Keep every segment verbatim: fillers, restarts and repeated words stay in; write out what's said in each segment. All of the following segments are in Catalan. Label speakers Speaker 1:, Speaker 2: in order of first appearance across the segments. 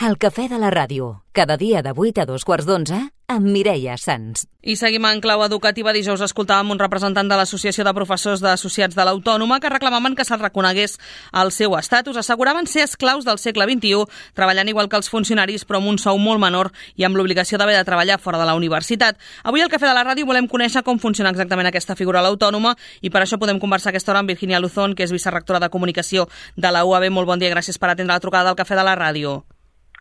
Speaker 1: El cafè de la ràdio, cada dia de vuit a dos quarts d'onze, amb Mireia Sans.
Speaker 2: I seguim en clau educativa. Dijous escoltàvem un representant de l'Associació de Professors d'Associats de l'Autònoma que reclamaven que se'ls reconegués el seu estatus. Asseguraven ser esclaus del segle vint-i-u, treballant igual que els funcionaris, però amb un sou molt menor i amb l'obligació d'haver de treballar fora de la universitat. Avui al Cafè de la Ràdio volem conèixer com funciona exactament aquesta figura a l'Autònoma i per això podem conversar aquesta hora amb Virginia Luzón, que és vicerectora de Comunicació de la U A B. Molt bon dia, gràcies per atendre la trucada del Cafè de la Ràdio.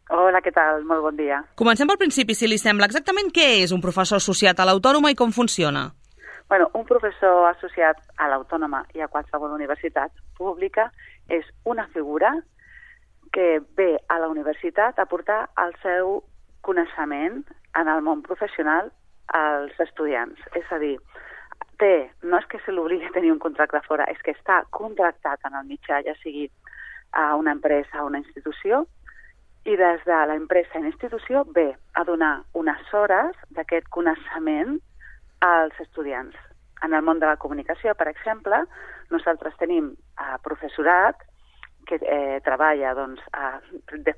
Speaker 3: Hola, què tal? Molt bon dia.
Speaker 2: Comencem pel principi, si li sembla. Exactament què és un professor associat a l'Autònoma i com funciona?
Speaker 3: Bueno, un professor associat a l'Autònoma i a qualsevol universitat pública és una figura que ve a la universitat a portar el seu coneixement en el món professional als estudiants. És a dir, té, no és que se l'obligui a tenir un contracte fora, és que està contractat en el mitjà, ja sigui a una empresa o una institució, i des de l'empresa i l'institució ve a donar unes hores d'aquest coneixement als estudiants. En el món de la comunicació, per exemple, nosaltres tenim eh, professorat que eh, treballa doncs, a,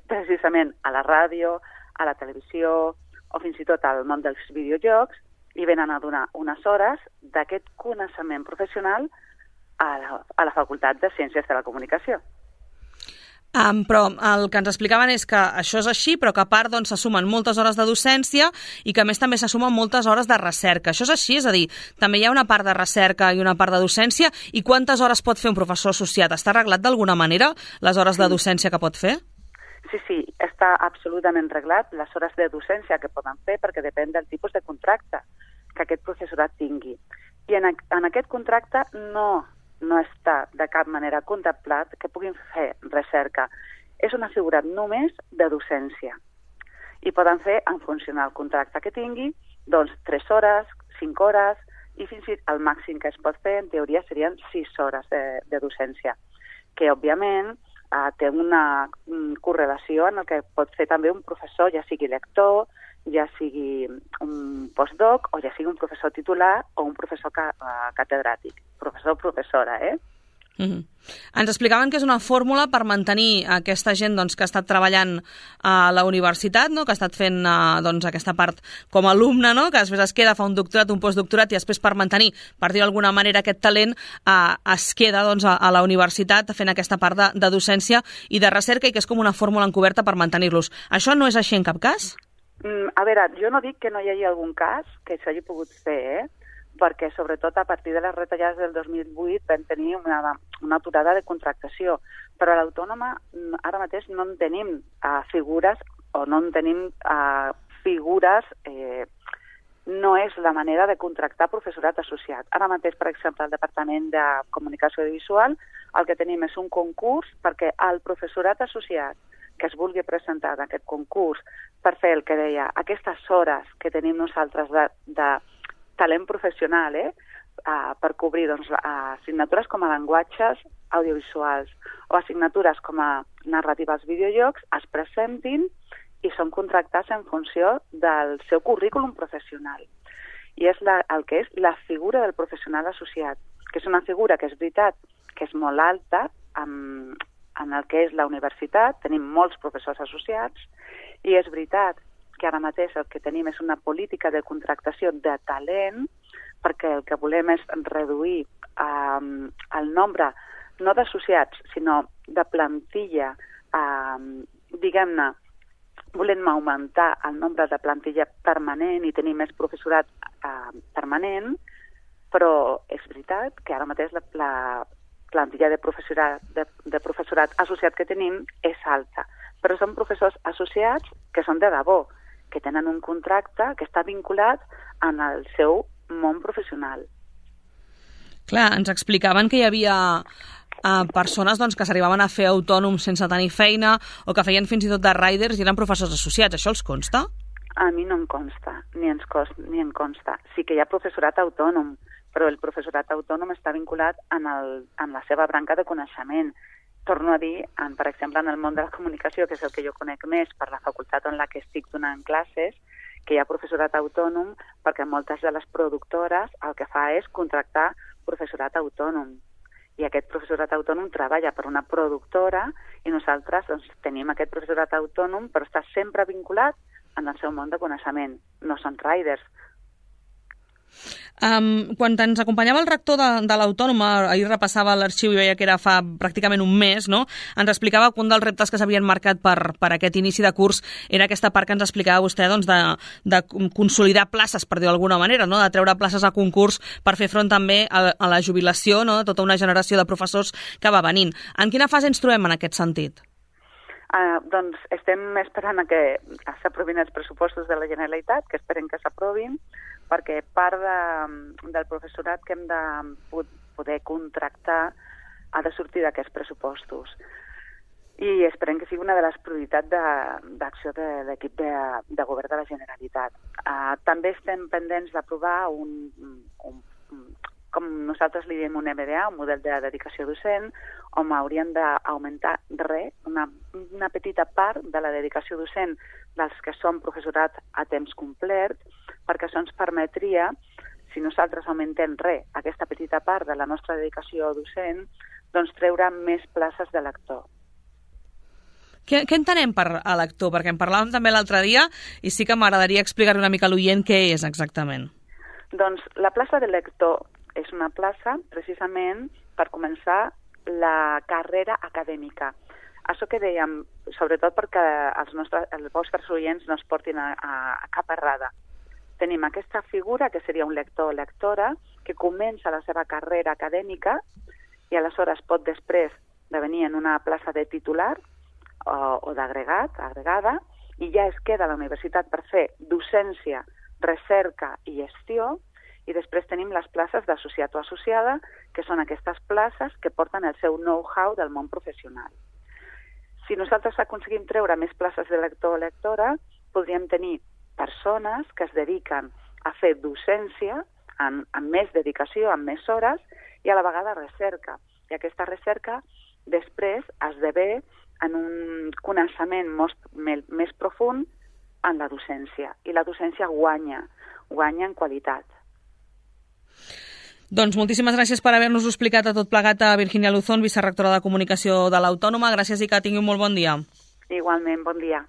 Speaker 3: precisament a la ràdio, a la televisió o fins i tot al món dels videojocs i venen a donar unes hores d'aquest coneixement professional a la, a la Facultat de Ciències de la Comunicació.
Speaker 2: Um, però el que ens explicaven és que això és així, però que a part doncs, s'assumen moltes hores de docència i que a més també s'assumen moltes hores de recerca. Això és així? És a dir, també hi ha una part de recerca i una part de docència. I quantes hores pot fer un professor associat? Està arreglat d'alguna manera les hores de docència que pot fer?
Speaker 3: Sí, sí, està absolutament reglat les hores de docència que poden fer perquè depèn del tipus de contracte que aquest professorat tingui. I en, en aquest contracte no... no està de cap manera contemplat que puguin fer recerca. És una figura només de docència. I poden fer, en funció del contracte que tingui, doncs tres hores, cinc hores, i fins i tot el màxim que es pot fer, en teoria, serien sis hores de, de docència, que, òbviament, eh, té una um, correlació en el que pot fer també un professor, ja sigui lector, ja sigui un postdoc o ja sigui un professor titular o un professor ca uh, catedràtic. Professor o professora, eh?
Speaker 2: Mm-hmm. Ens explicaven que és una fórmula per mantenir aquesta gent doncs, que ha estat treballant a la universitat, no? Que ha estat fent uh, doncs, aquesta part com a alumne, no? Que després es queda, fa un doctorat, un postdoctorat i després per mantenir, per dir d'alguna manera, aquest talent uh, es queda doncs, a, a la universitat fent aquesta part de, de docència i de recerca i que és com una fórmula encoberta per mantenir-los. Això no és així en cap cas?
Speaker 3: Mm, a veure, jo no dic que no hi hagi algun cas que s'hagi pogut fer, eh? Perquè sobretot a partir de les retallades del dos mil vuit vam tenir una, una aturada de contractació. Però a l'Autònoma ara mateix no en tenim uh, figures o no en tenim uh, figures... Eh, no és la manera de contractar professorat associat. Ara mateix, per exemple, al Departament de Comunicació Audiovisual el que tenim és un concurs perquè el professorat associat que es vulgui presentar en aquest concurs per fer el que deia, aquestes hores que tenim nosaltres de, de talent professional, eh, uh, per cobrir doncs, uh, assignatures com a llenguatges audiovisuals o assignatures com a narrativa als videojocs, es presentin i són contractats en funció del seu currículum professional. I és la, el que és la figura del professional associat, que és una figura que és veritat que és molt alta en, en el que és la universitat, tenim molts professors associats, i és veritat que ara mateix el que tenim és una política de contractació de talent, perquè el que volem és reduir um, el nombre, no d'associats, sinó de plantilla, um, diguem-ne, volem augmentar el nombre de plantilla permanent i tenir més professorat uh, permanent, però és veritat que ara mateix la, la plantilla de professorat, de, de professorat associat que tenim és alta, però són professors associats que són de debò, que tenen un contracte que està vinculat en el seu món professional.
Speaker 2: Clar, ens explicaven que hi havia uh, persones doncs, que s'arribaven a fer autònoms sense tenir feina o que feien fins i tot de riders i eren professors associats. Això els consta?
Speaker 3: A mi no em consta, ni, ens cost, ni em consta. Sí que hi ha professorat autònom, però el professorat autònom està vinculat en, el, en la seva branca de coneixement. Torno a dir, en, per exemple, en el món de la comunicació, que és el que jo conec més per la facultat en la que estic donant classes, que hi ha professorat autònom perquè moltes de les productores el que fa és contractar professorat autònom. I aquest professorat autònom treballa per una productora I nosaltres doncs, tenim aquest professorat autònom, però està sempre vinculat en el seu món de coneixement. No són riders.
Speaker 2: Um, quan ens acompanyava el rector de, de l'Autònoma, ahir repassava l'arxiu i veia que era fa pràcticament un mes, no? Ens explicava que un dels reptes que s'havien marcat per, per aquest inici de curs era aquesta part que ens explicava vostè, doncs, de, de consolidar places, per dir-ho d'alguna manera, no? De treure places a concurs per fer front també a, a la jubilació, no? De tota una generació de professors que va venint. En quina fase ens trobem en aquest sentit?
Speaker 3: Uh, doncs estem esperant a que s'aprovin els pressupostos de la Generalitat, que esperem que s'aprovin, perquè part de, del professorat que hem de poder contractar ha de sortir d'aquests pressupostos. I esperem que sigui una de les prioritats d'acció de, de l'equip de, de govern de la Generalitat. Uh, també estem pendents d'aprovar un, un, com nosaltres li diem, un M D A, un model de dedicació docent, on hauríem d'augmentar res, una, una petita part de la dedicació docent dels que són professorat a temps complet, perquè això ens permetria, si nosaltres augmentem res, aquesta petita part de la nostra dedicació docent, doncs treure més places de lector.
Speaker 2: Què, què entenem per a lector? Perquè en parlàvem també l'altre dia i sí que m'agradaria explicar una mica a l'oient què és exactament.
Speaker 3: Doncs la plaça de lector és una plaça precisament per començar la carrera acadèmica. Això que dèiem, sobretot perquè els, nostres, els vostres oients no es portin a, a, a cap errada. Tenim aquesta figura, que seria un lector o lectora, que comença la seva carrera acadèmica i aleshores pot després devenir en una plaça de titular o, o d'agregat, agregada, i ja es queda a la universitat per fer docència, recerca i gestió, i després tenim les places d'associat o associada, que són aquestes places que porten el seu know-how del món professional. Si nosaltres aconseguim treure més places de lector o lectora, podríem tenir persones que es dediquen a fer docència amb, amb més dedicació, amb més hores, i a la vegada recerca. I aquesta recerca després esdevé en un coneixement most, més, més profund en la docència. I la docència guanya, guanya en qualitat.
Speaker 2: Doncs moltíssimes gràcies per haver-nos explicat a tot plegat a Virginia Luzón, vicerectora de Comunicació de l'Autònoma. Gràcies i que tingui un molt bon dia.
Speaker 3: Igualment, bon dia.